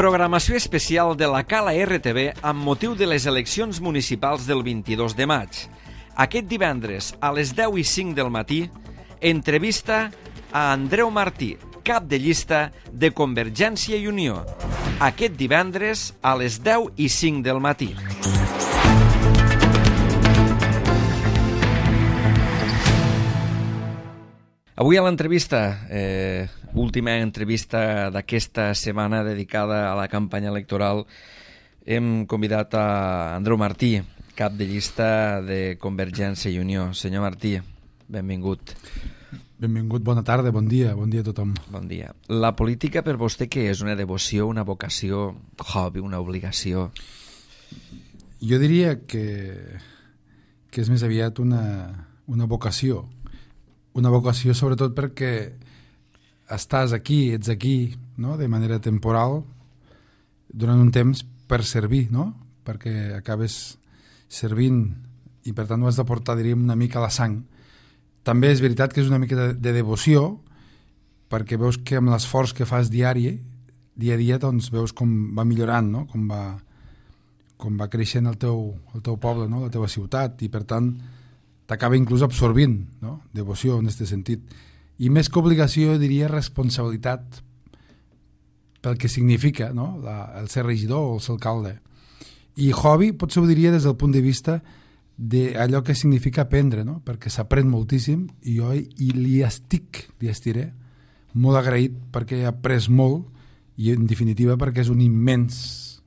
Programació especial de la Cala RTV amb motiu de les eleccions municipals del 22 de maig. Aquest divendres, a les 10:05 del matí, entrevista a Andreu Martí, cap de llista de Convergència i Unió. Aquest divendres, a les 10:05 del matí. Avui a l'entrevista, última entrevista d'aquesta setmana dedicada a la campanya electoral, hem convidat a Andreu Martí, cap de llista de Convergència i Unió. Senyor Martí, benvingut. Benvingut, bona tarda, bon dia a tothom. Bon dia. La política per vostè què és? Una devoció, una vocació, hobby, una obligació? Jo diria que és més aviat una vocació. Una vocació sobretot perquè estàs aquí, ets aquí, no?, de manera temporal durant un temps per servir, no?, perquè acabes servint i per tant ho has de portar, diríem, una mica a la sang. També és veritat que és una mica de devoció perquè veus que amb l'esforç que fas dia a dia, doncs veus com va millorant, no?, com va creixent el teu poble, no?, la teva ciutat, i per tant t'acaba inclús absorbint, no?, devoció en aquest sentit. I més que obligació, diria responsabilitat pel que significa, no?, el ser regidor o el ser alcalde. I hobby potser ho diria des del punt de vista d'allò que significa aprendre, no?, perquè s'aprèn moltíssim i jo li estiré molt agraït perquè he après molt i en definitiva perquè és un immens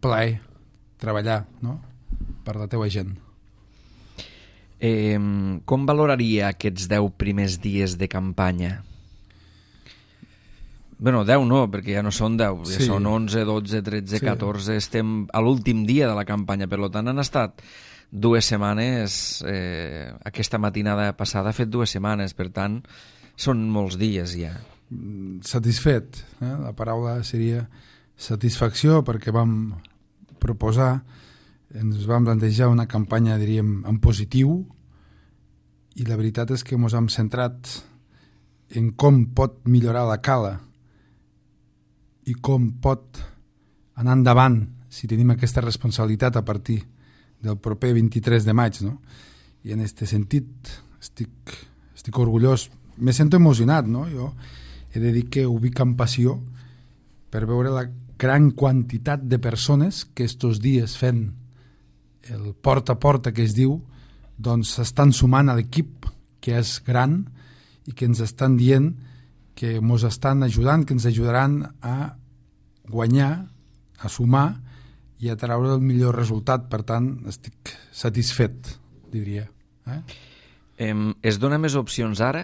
plaer treballar, no?, per la teva gent. Com valoraria aquests 10 primers dies de campanya? Bueno, 10 no, perquè ja no són 10, ja són 11, 12, 13, 14, estem a l'últim dia de la campanya, per tant han estat 2 setmanes, aquesta matinada passada ha fet 2 setmanes, per tant són molts dies ja. Satisfet, la paraula seria satisfacció, perquè vam proposar, ens vam plantejar una campanya, diríem, en positiu, i la veritat és que ens hem centrat en com pot millorar la cala i com pot anar endavant si tenim aquesta responsabilitat a partir del proper 23 de maig, no? I en aquest sentit estic orgullós, me sento emocionat, no? Jo he de dir que ho vic amb passió per veure la gran quantitat de persones que estos dies fent el porta a porta que es diu, doncs s'estan sumant a l'equip, que és gran, i que ens estan dient que ens estan ajudant, que ens ajudaran a guanyar, a sumar i a treure el millor resultat. Per tant, estic satisfet, diria. Es dona més opcions ara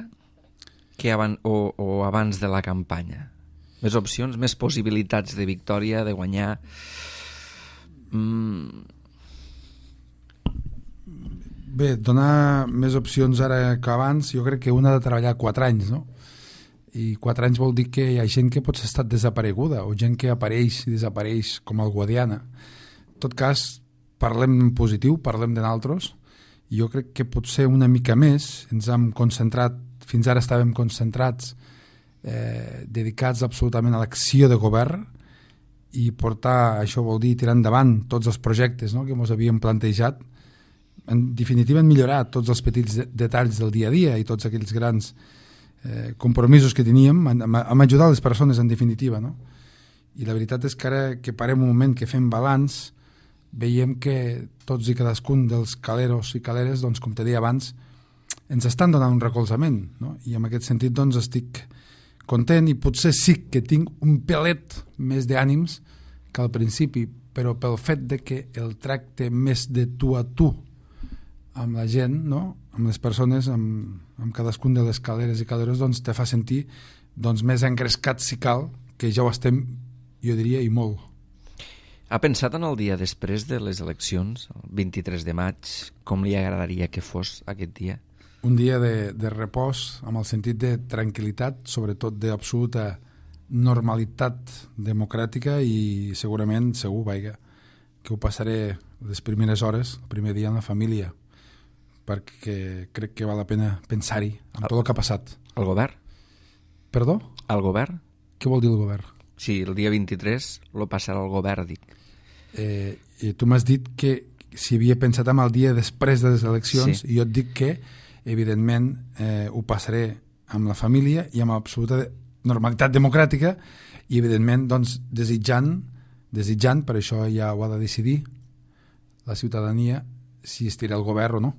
que abans de la campanya? Més opcions, més possibilitats de victòria, de guanyar? Bé, donar més opcions ara que abans, jo crec que un ha de treballar 4 anys, no? I 4 anys vol dir que hi ha gent que potser ha estat desapareguda, o gent que apareix i desapareix com el Guadiana. En tot cas, parlem en positiu, parlem de nosaltres, i jo crec que potser una mica més ens hem concentrat, fins ara estàvem concentrats, dedicats absolutament a l'acció de govern, i portar, això vol dir tirar endavant tots els projectes, no?, que ens havíem plantejat. En definitiva, hem millorat tots els petits detalls del dia a dia i tots aquells grans compromisos que teníem, hem ajudat les persones, en definitiva, no? I la veritat és que ara que parem un moment, que fem balanç, veiem que tots i cadascun dels caleros i caleres, doncs, com te deia abans, ens estan donant un recolzament, no? I en aquest sentit, doncs, estic content i potser sí que tinc un pelet més d'ànims que al principi, però pel fet de que el tracte més de tu a tu amb la gent, no?, amb les persones, amb cadascun de les caleres i caleros, doncs te fa sentir més engrescat, si cal, que ja ho estem, jo diria, i molt. Ha pensat en el dia després de les eleccions, el 23 de maig, com li agradaria que fos aquest dia? Un dia de repòs, amb el sentit de tranquil·litat, sobretot d'absoluta normalitat democràtica, i segurament, segur, que ho passaré les primeres hores, el primer dia en la família, perquè crec que val la pena pensar-hi en tot el que ha passat. El govern? Perdó? El govern? Què vol dir el govern? Sí, el dia 23 lo passarà el govern, dic. I tu m'has dit que si havia pensat en el dia després de les eleccions, sí. I jo et dic que, evidentment, ho passaré amb la família i amb absoluta normalitat democràtica i, evidentment, doncs, desitjant, per això ja ho ha de decidir la ciutadania, si estirà el govern o no.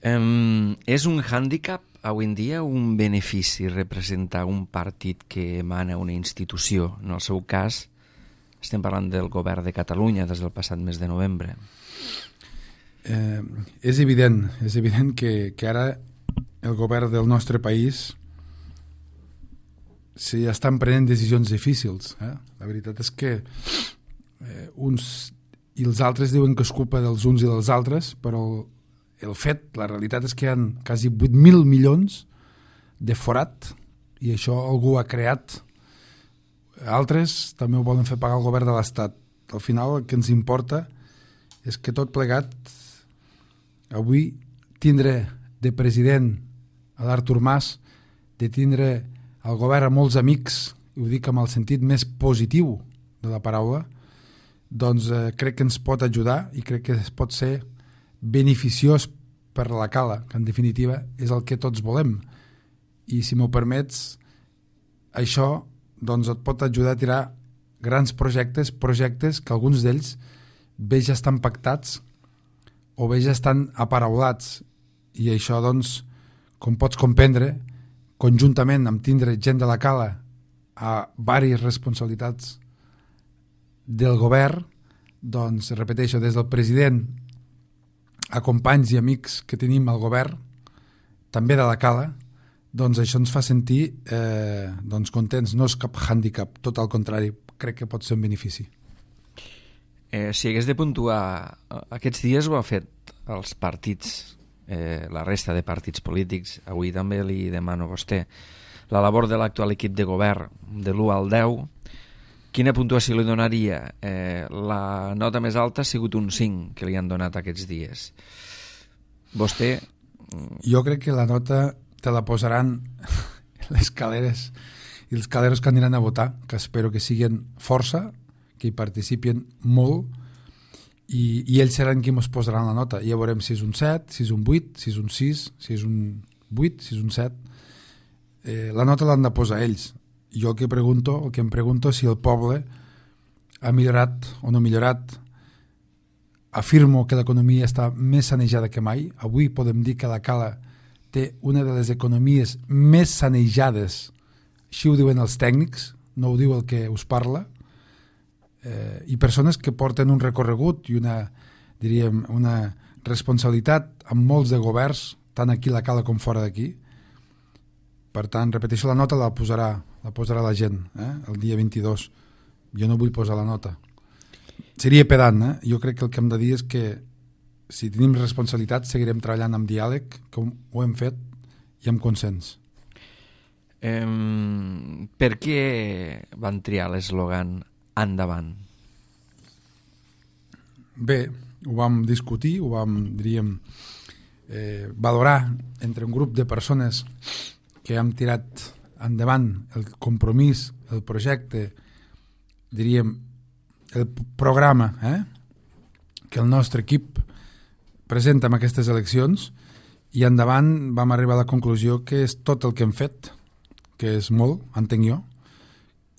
És un hàndicap avui en dia, un benefici representar un partit que emana una institució? En el seu cas, estem parlant del govern de Catalunya des del passat mes de novembre. És evident que ara el govern del nostre país estan prenent decisions difícils. La veritat és que uns i els altres diuen que és culpa dels uns i dels altres, però la realitat és que hi ha quasi 8.000 milions de forat i això algú ha creat. Altres també ho volen fer pagar al govern de l'Estat. Al final el que ens importa és que tot plegat avui tindre de president a l'Artur Mas, de tindre al govern a molts amics, i ho dic amb el sentit més positiu de la paraula, doncs crec que ens pot ajudar i crec que pot ser beneficiós per la cala, que en definitiva és el que tots volem. I si m'ho permets, això doncs et pot ajudar a tirar grans projectes que alguns d'ells bé ja estan pactats o bé ja estan aparaulats. I això, doncs, com pots comprendre, conjuntament amb tindre gent de la cala a diverses responsabilitats del govern, doncs, repeteixo, des del president a companys i amics que tenim al govern, també de la cala, doncs això ens fa sentir doncs contents. No és cap hàndicap, tot al contrari, crec que pot ser un benefici. Si hagués de puntuar, aquests dies ho ha fet els partits, la resta de partits polítics, avui també li demano a vostè, la labor de l'actual equip de govern de l'1 al 10, quina puntuació li donaria? La nota més alta ha sigut un 5 que li han donat aquests dies. Vostè... Jo crec que la nota te la posaran les caleres i els caleros que aniran a votar, que espero que siguin força, que hi participin molt, i ells seran qui ens posaran la nota. Ja veurem si és un 7, si és un 8, si és un 6, si és un 8, si és un 7. La nota l'han de posar ells. Jo el que em pregunto és si el poble ha millorat o no millorat. Afirmo que l'economia està més sanejada que mai. Avui podem dir que la Cala té una de les economies més sanejades. Així ho diuen els tècnics, no ho diu el que us parla. I persones que porten un recorregut i una responsabilitat amb molts de governs, tant aquí a la Cala com fora d'aquí. Per tant, repeteixo, la nota la posarà la gent el dia 22. Jo no vull posar la nota. Seria pedant, Jo crec que el que hem de dir és que si tenim responsabilitat seguirem treballant amb diàleg, com ho hem fet, i amb consens. Per què van triar l'eslògan endavant? Bé, ho vam discutir, ho vam, valorar entre un grup de persones que hem tirat endavant el compromís, el projecte, el programa que el nostre equip presenta en aquestes eleccions, i endavant vam arribar a la conclusió que és tot el que hem fet, que és molt, entenc jo,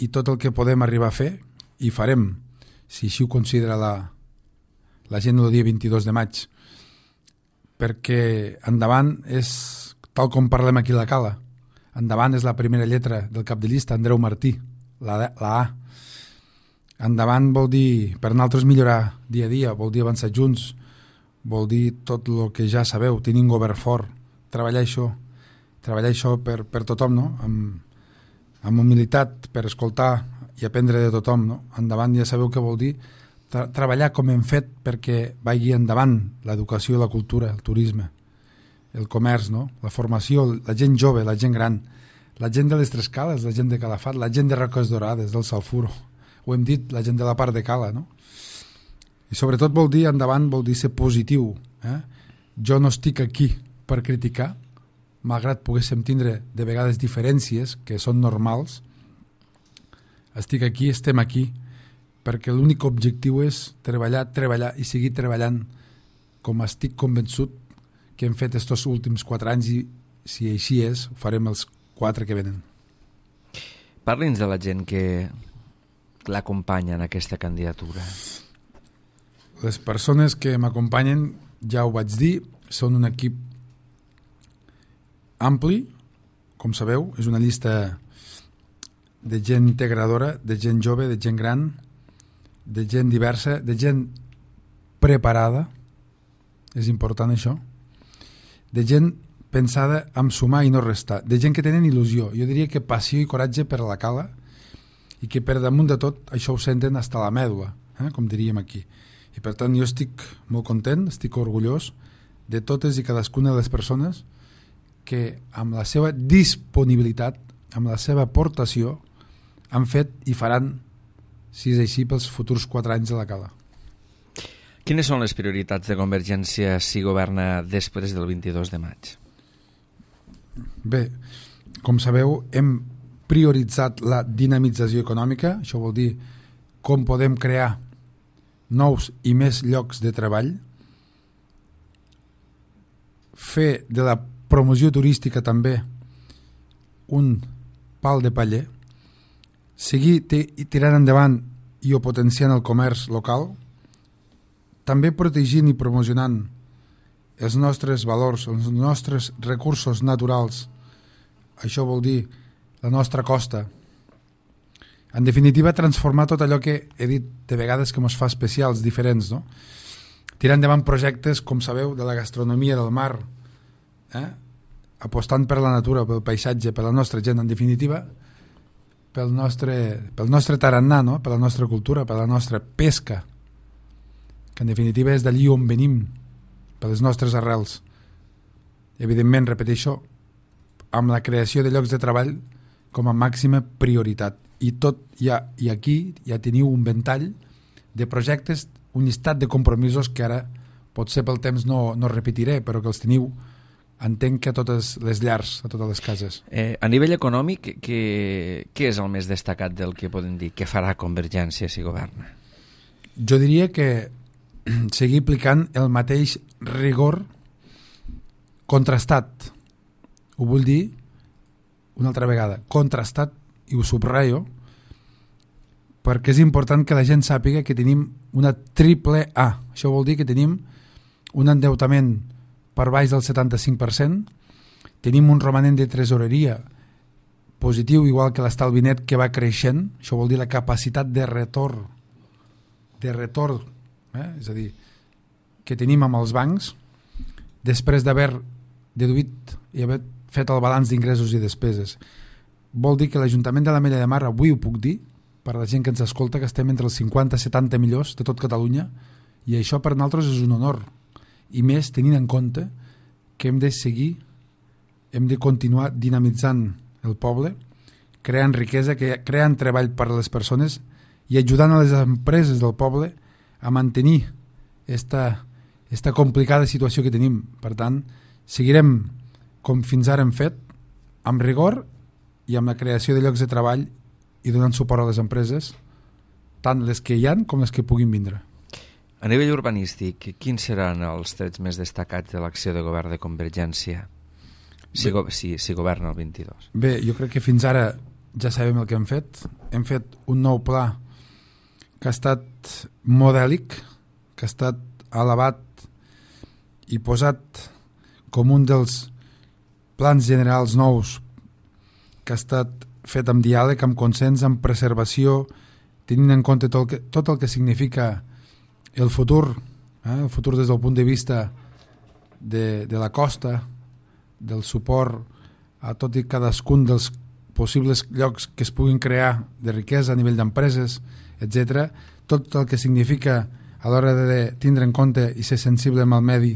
i tot el que podem arribar a fer, i farem, si així ho considera la gent el dia 22 de maig, perquè endavant és tal com parlem aquí a la Cala. Endavant és la primera lletra del cap de llista, Andreu Martí, la A. Endavant vol dir, per nosaltres, millorar dia a dia, vol dir avançar junts, vol dir tot el que ja sabeu, tenir un govern fort, treballar això per tothom, no? Amb humilitat, per escoltar i aprendre de tothom, no? Endavant ja sabeu què vol dir, treballar com hem fet perquè vagi endavant l'educació, la cultura, el turisme, el comerç, no? La formació, la gent jove, la gent gran, la gent de les Tres Cales, la gent de Calafat, la gent de Roques Dorades, del Salfuro, ho hem dit, la gent de la part de Cala, no? I sobretot vol dir, endavant, vol dir ser positiu. Jo no estic aquí per criticar, malgrat poguéssim tindre de vegades diferències que són normals, estic aquí, estem aquí, perquè l'únic objectiu és treballar i seguir treballant com estic convençut que hem fet estos últims 4 anys i si així és, ho farem els 4 que venen. Parli'ns de la gent que l'acompanya en aquesta candidatura. Les persones que m'acompanyen, ja ho vaig dir, són un equip ampli, com sabeu, és una llista de gent integradora, de gent jove, de gent gran, de gent diversa, de gent preparada, és important això, de gent pensada en sumar i no restar, de gent que tenen il·lusió, jo diria que passió i coratge per a la cala i que per damunt de tot això ho senten hasta la mèdula, com diríem aquí. I per tant jo estic molt content, estic orgullós de totes i cadascuna de les persones que amb la seva disponibilitat, amb la seva aportació, han fet i faran, si és així, pels futurs 4 anys de la cala. Quines són les prioritats de Convergència si governa després del 22 de maig? Bé, com sabeu, hem prioritzat la dinamització econòmica, això vol dir com podem crear nous i més llocs de treball, fer de la promoció turística també un pal de paller, seguir tirant endavant i potenciant el comerç local, també protegint i promocionant els nostres valors, els nostres recursos naturals, això vol dir la nostra costa. En definitiva, transformar tot allò que he dit de vegades que ens fa especials, diferents, no? Tirar endavant projectes, com sabeu, de la gastronomia del mar, apostant per la natura, pel paisatge, per la nostra gent, en definitiva, pel nostre tarannà, no? Per la nostra cultura, per la nostra pesca, que en definitiva és d'allí on venim, per les nostres arrels. Evidentment, repeteixo, amb la creació de llocs de treball com a màxima prioritat. I aquí ja teniu un ventall de projectes, un llistat de compromisos que ara potser pel temps no repetiré, però que els teniu, entenc que a totes les llars, a totes les cases. A nivell econòmic, què és el més destacat del que podem dir? Què farà Convergència si governa? Jo diria que seguir aplicant el mateix rigor contrastat. Ho vull dir una altra vegada, contrastat, i ho subratllo, perquè és important que la gent sàpiga que tenim una triple A. Això vol dir que tenim un endeutament per baix del 75%, tenim un romanent de tresoreria positiu, igual que l'estalvi net, que va creixent, això vol dir la capacitat de retorn, és a dir, que tenim amb els bancs, després d'haver deduït i haver fet el balanç d'ingressos i despeses. Vol dir que l'Ajuntament de l'Ametlla de Mar, avui ho puc dir, per la gent que ens escolta, que estem entre els 50 i 70 millors de tot Catalunya, i això per nosaltres és un honor, i més tenint en compte que hem de seguir, hem de continuar dinamitzant el poble, creant riquesa, creant treball per a les persones i ajudant a les empreses del poble a mantenir esta complicada situació que tenim. Per tant, seguirem com fins ara hem fet, amb rigor i amb la creació de llocs de treball i donant suport a les empreses, tant les que hi ha com les que puguin vindre. A nivell urbanístic, quins seran els trets més destacats de l'acció de govern de Convergència si governa el 22? Bé, jo crec que fins ara ja sabem el que hem fet. Hem fet un nou pla que ha estat modèlic, que ha estat elevat i posat com un dels plans generals nous que ha estat fet amb diàleg, amb consens, amb preservació, tenint en compte tot el que significa el futur des del punt de vista de la costa, del suport a tot i cadascun dels possibles llocs que es puguin crear de riquesa a nivell d'empreses, etc. Tot el que significa a l'hora de tindre en compte i ser sensible amb el medi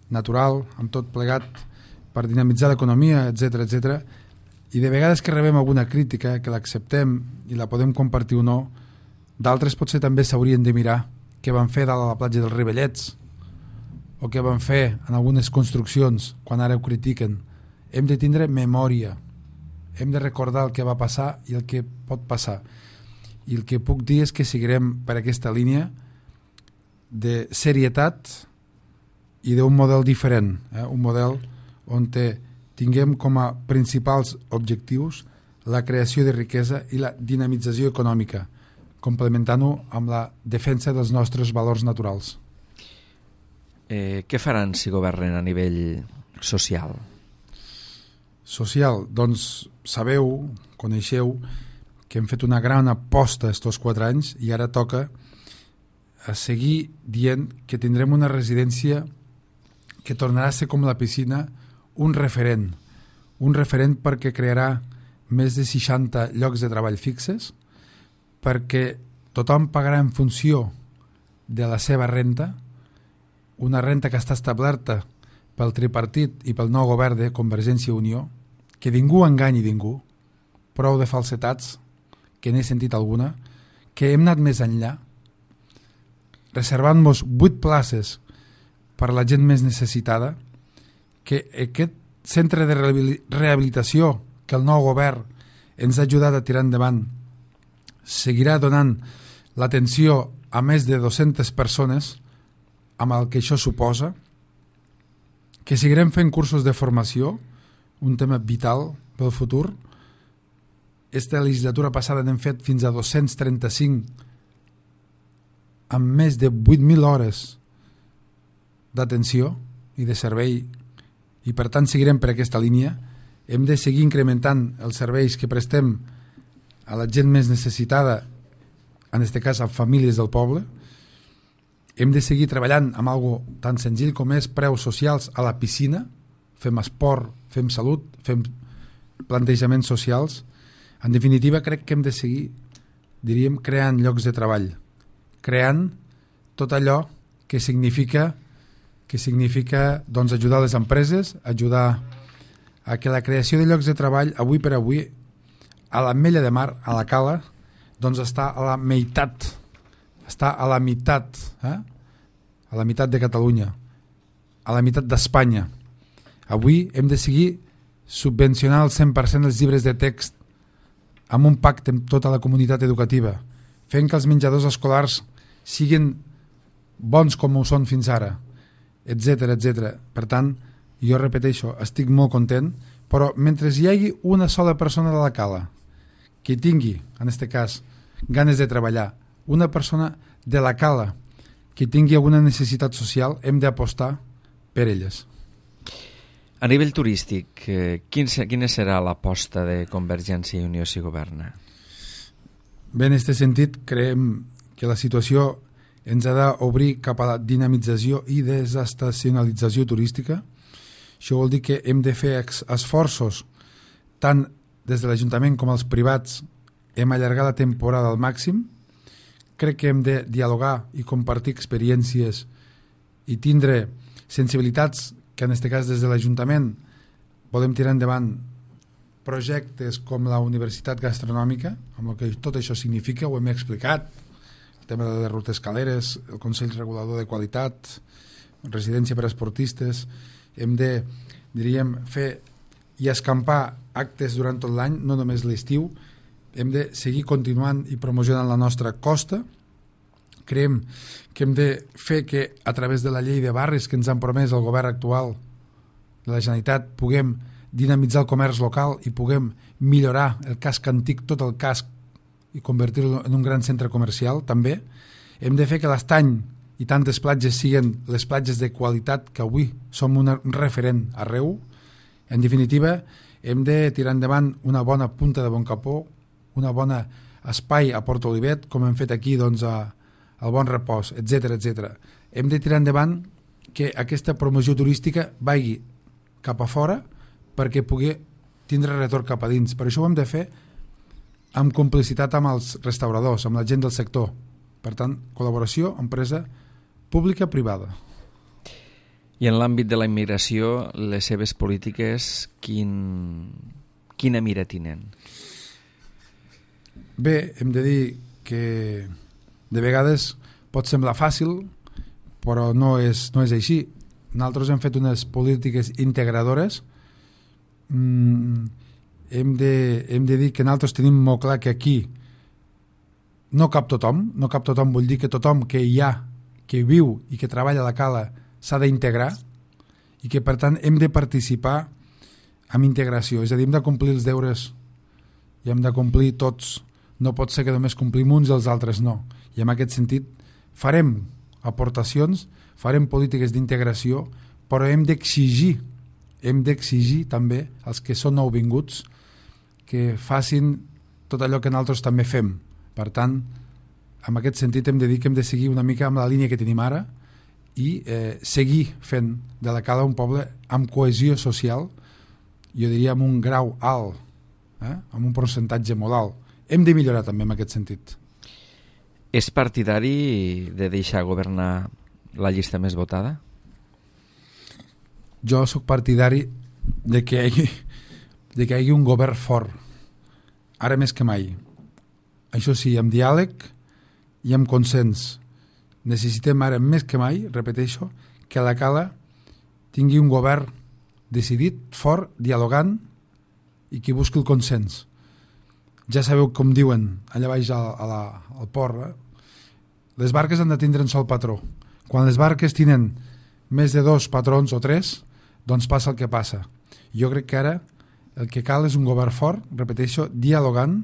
natural, amb tot plegat per dinamitzar l'economia, etc. I de vegades que rebem alguna crítica, que l'acceptem i la podem compartir o no, d'altres potser també s'haurien de mirar què van fer dalt a la platja dels Rivellets o què van fer en algunes construccions quan ara ho critiquen. Hem de tindre memòria, hem de recordar el que va passar i el que pot passar. i el que puc dir és que seguirem per aquesta línia de serietat i d'un model diferent, un model on tinguem com a principals objectius la creació de riquesa i la dinamització econòmica, complementant-ho amb la defensa dels nostres valors naturals. Què faran si governen a nivell social? Social, doncs sabeu, coneixeu, que hem fet una gran aposta estos 4 anys i ara toca a seguir dient que tindrem una residència que tornarà a ser com la piscina un referent perquè crearà més de 60 llocs de treball fixes, perquè tothom pagarà en funció de la seva renta, una renta que està establerta pel tripartit i pel nou govern de Convergència i Unió, que ningú enganyi ningú, prou de falsetats, que n'he sentit alguna, que hem anat més enllà, reservant-nos 8 places per a la gent més necessitada, que aquest centre de rehabilitació que el nou govern ens ha ajudat a tirar endavant seguirà donant l'atenció a més de 200 persones amb el que això suposa, que seguirem fent cursos de formació, un tema vital pel futur. Esta legislatura passada n'hem fet fins a 235 amb més de 8.000 hores d'atenció i de servei, i per tant seguirem per aquesta línia. Hem de seguir incrementant els serveis que prestem a la gent més necessitada, en aquest cas a famílies del poble. Hem de seguir treballant amb algo tan senzill com és preus socials a la piscina, fem esport, fem salut, fem plantejaments socials. En definitiva, crec que hem de seguir, diríem, creant llocs de treball, creant tot allò que significa doncs, ajudar les empreses, ajudar a que la creació de llocs de treball, avui per avui, a l'Ametlla de Mar, a la Cala, doncs està a la meitat, a la meitat de Catalunya, a la meitat d'Espanya. Avui hem de seguir subvencionar el 100% dels llibres de text amb un pacte amb tota la comunitat educativa, fent que els menjadors escolars siguin bons com ho són fins ara, etc etc. Per tant, jo repeteixo, estic molt content, però mentre hi hagi una sola persona de la Cala que tingui, en aquest cas, ganes de treballar, una persona de la Cala que tingui alguna necessitat social, hem d'apostar per elles. A nivell turístic, quina serà l'aposta de Convergència i Unió si governa? Bé, en aquest sentit, creiem que la situació ens ha d'obrir cap a la dinamització i desestacionalització turística. Això vol dir que hem de fer esforços, tant des de l'Ajuntament com els privats, hem allargat la temporada al màxim. Crec que hem de dialogar i compartir experiències i tindre sensibilitats que en aquest cas des de l'Ajuntament podem tirar endavant projectes com la Universitat Gastronòmica, amb el que tot això significa, ho hem explicat, el tema de les rutes escaleres, el Consell Regulador de Qualitat, residència per a esportistes. Hem de, diríem, fer i escampar actes durant tot l'any, no només l'estiu. Hem de seguir continuant i promocionant la nostra costa. Creiem que hem de fer que a través de la llei de barris que ens han promès el govern actual de la Generalitat puguem dinamitzar el comerç local i puguem millorar el casc antic, tot el casc, i convertir-lo en un gran centre comercial. També hem de fer que l'Estany i tantes platges siguin les platges de qualitat que avui som un referent arreu. En definitiva, hem de tirar endavant una bona punta de Boncapó, una bona espai a Port Olivet, com hem fet aquí doncs, al Bon Repòs, etc etc. Hem de tirar endavant que aquesta promoció turística vagi cap a fora perquè pugui tindre retorn cap a dins. Per això ho hem de fer amb complicitat amb els restauradors, amb la gent del sector. Per tant, col·laboració, empresa pública-privada. I en l'àmbit de la immigració, les seves polítiques, quina mira tenen? Bé, hem de dir que de vegades pot semblar fàcil, però no és així. Nosaltres hem fet unes polítiques integradores. Hem de dir que nosaltres tenim molt clar que aquí no cap tothom vull dir que tothom que hi ha, que viu i que treballa a la cala s'ha d'integrar i que per tant hem de participar amb integració, és a dir, hem de complir els deures i hem de complir tots, no pot ser que només complim uns i els altres no, i en aquest sentit farem aportacions, farem polítiques d'integració, però hem d'exigir també als que són nouvinguts que facin tot allò que nosaltres també fem. Per tant, en aquest sentit hem de dir que hem de seguir una mica amb la línia que tenim ara i seguir fent de la Cala un poble amb cohesió social, jo diria amb un grau alt, amb un percentatge molt alt. Hem de millorar també en aquest sentit. És partidari de deixar governar la llista més votada? Jo sóc partidari de que hi hagi un govern fort, ara més que mai. Això sí, amb diàleg i amb consens. Necessitem ara més que mai, repeteixo, que la Cala tingui un govern decidit, fort, dialogant i que busqui el consens. Ja sabeu com diuen allà baix al port, les barques han de tindre un sol patró. Quan les barques tenen més de 2 patrons o 3, doncs passa el que passa. Jo crec que ara el que cal és un govern fort, repeteixo, dialogant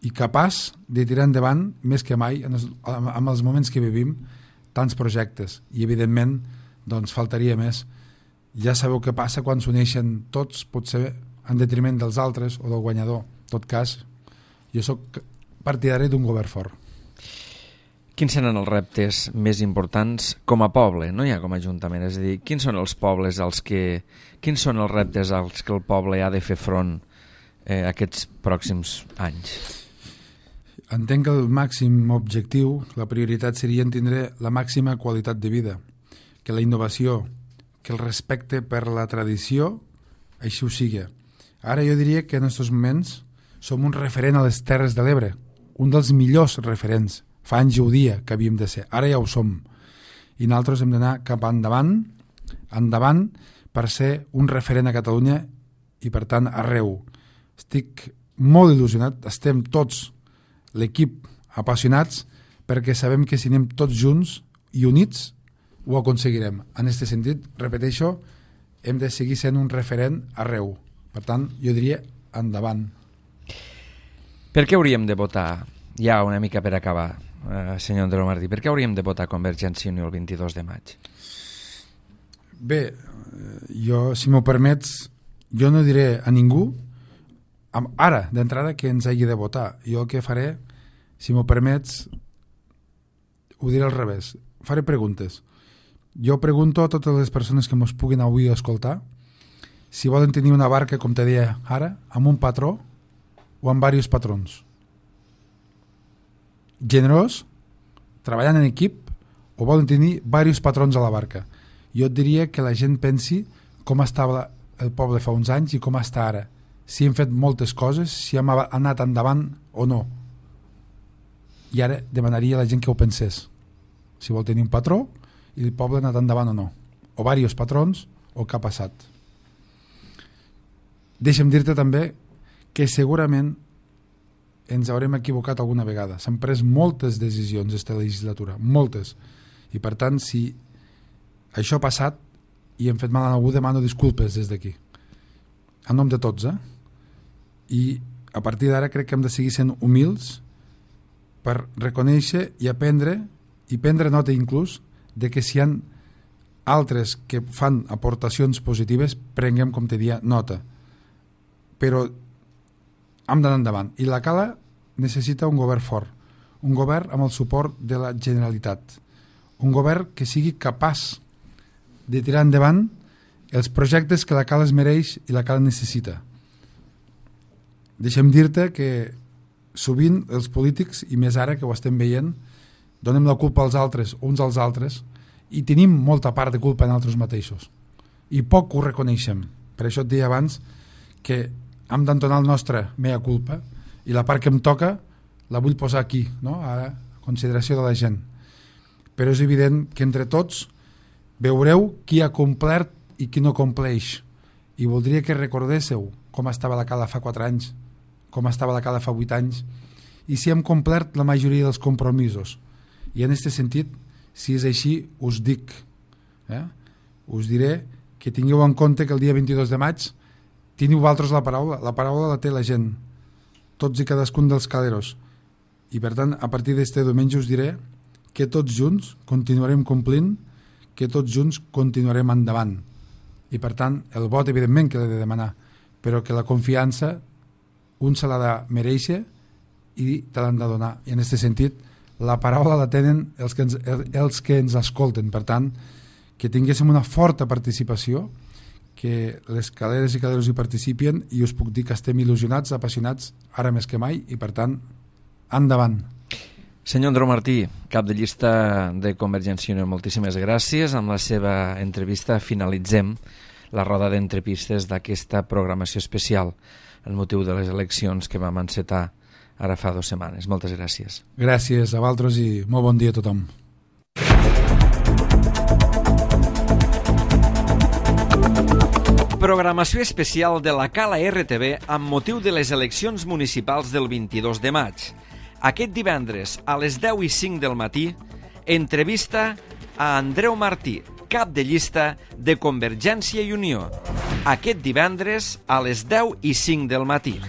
i capaç de tirar endavant més que mai en els moments que vivim tants projectes. I evidentment doncs faltaria més. Ja sabeu què passa quan s'uneixen tots, potser en detriment dels altres o del guanyador. En tot cas, jo sóc partidari d'un govern fort. Quins seran els reptes més importants com a poble, no ja com a ajuntament? És a dir, quins són els reptes als que el poble ha de fer front aquests pròxims anys? Entenc que el màxim objectiu, la prioritat seria tindre la màxima qualitat de vida, que la innovació, que el respecte per la tradició, així ho sigui. Ara jo diria que en aquests moments som un referent a les Terres de l'Ebre, un dels millors referents. Fa anys ho dia que havíem de ser, ara ja ho som. I nosaltres hem d'anar cap endavant per ser un referent a Catalunya i per tant arreu. Estic molt il·lusionat, estem tots, l'equip, apassionats perquè sabem que si anem tots junts i units ho aconseguirem. En aquest sentit, repeteixo, hem de seguir sent un referent arreu. Per tant, jo diria endavant. Per què hauríem de votar, ja una mica per acabar, senyor Andreu Martí, per què hauríem de votar Convergència i Unió el 22 de maig? Bé, jo, si m'ho permets, jo no diré a ningú ara, d'entrada, que ens hagi de votar. Jo el que faré, si m'ho permets, ho diré al revés. Faré preguntes. Jo pregunto a totes les persones que mos puguin avui escoltar si volen tenir una barca, com te deia ara, amb un patró o amb diversos patrons. Generós, treballant en equip, o volen tenir diversos patrons a la barca. Jo et diria que la gent pensi com estava el poble fa uns anys i com està ara. Si hem fet moltes coses, si hem anat endavant o no. I ara demanaria a la gent que ho pensés. Si vol tenir un patró i el poble ha anat endavant o no. O diversos patrons o què ha passat. Deixa'm dir-te també que segurament ens haurem equivocat alguna vegada. S'han pres moltes decisions aquesta legislatura, moltes. I per tant, si això ha passat i hem fet mal a algú, demano disculpes des d'aquí. En nom de tots, I a partir d'ara crec que hem de seguir sent humils per reconèixer i aprendre i prendre nota inclús de que si hi ha altres que fan aportacions positives, prenguem, com te dia, nota. Però hem d'anar endavant. I la Cala necessita un govern fort, un govern amb el suport de la Generalitat, un govern que sigui capaç de tirar endavant els projectes que la Cala es mereix i la Cala necessita. Deixa'm dir-te que sovint els polítics, i més ara que ho estem veient, donem la culpa als altres, uns als altres, i tenim molta part de culpa en altres mateixos. I poc ho reconeixem. Per això et deia abans que hem d'entonar el nostre mea culpa i la part que em toca la vull posar aquí, no? Ara, a consideració de la gent. Però és evident que entre tots veureu qui ha complert i qui no compleix. I voldria que recordéssiu com estava la Cala fa 4 anys, com estava la Cala fa 8 anys, i si hem complert la majoria dels compromisos. I en aquest sentit, si és així, us dic, us diré que tingueu en compte que el dia 22 de maig teniu vosaltres la paraula la té la gent, tots i cadascun dels caleros. I per tant, a partir d'este diumenge us diré que tots junts continuarem complint, que tots junts continuarem endavant. I per tant, el vot evidentment que l'he de demanar, però que la confiança un se l'ha de mereixer i te l'han de donar. I en aquest sentit, la paraula la tenen els que ens escolten. Per tant, que tinguéssim una forta participació, que les caleres i caleros hi participien, i us puc dir que estem il·lusionats, apassionats, ara més que mai, i per tant, endavant. Senyor Andreu Martí, cap de llista de Convergència i Unió, moltíssimes gràcies. Amb la seva entrevista finalitzem la roda d'entrepistes d'aquesta programació especial el motiu de les eleccions que vam encetar ara fa 2 setmanes. Moltes gràcies. Gràcies a vosaltres i molt bon dia a tothom. Programació especial de la Cala RTV amb motiu de les eleccions municipals del 22 de maig. Aquest divendres a les 10:05 del matí, entrevista a Andreu Martí, cap de llista de Convergència i Unió. Aquest divendres a les 10:05 del matí.